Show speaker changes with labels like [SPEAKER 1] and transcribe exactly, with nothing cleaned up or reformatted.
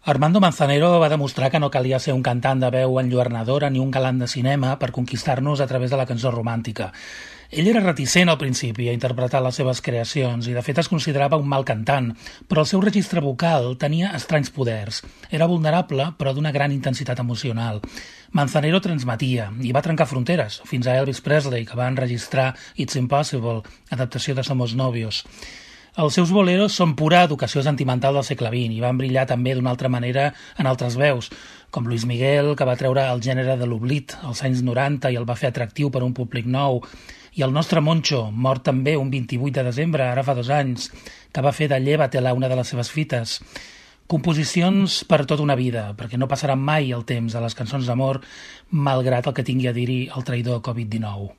[SPEAKER 1] Armando Manzanero va demostrar que no calia ser un cantant de veu enlluernadora ni un galant de cinema per conquistar-nos a través de la cançó romàntica. Ell era reticent al principi a interpretar les seves creacions i de fet es considerava un mal cantant, però el seu registre vocal tenia estranys poders. Era vulnerable però d'una gran intensitat emocional. Manzanero transmetia i va trencar fronteres, fins a Elvis Presley, que va enregistrar It's Impossible, adaptació de Somos Novios. Els seus boleros són pura educació sentimental del segle vint i van brillar també d'una altra manera en altres veus, com Luis Miguel, que va treure el gènere de l'oblit als anys noranta i el va fer atractiu per a un públic nou, i el nostre Moncho, mort també un vint-i-vuit de desembre, ara fa dos anys, que va fer de Llévatela una de les seves fites. Composicions per tota una vida, perquè no passarà mai el temps a les cançons d'amor, malgrat el que tingui a dir-hi el traïdor covid dinou.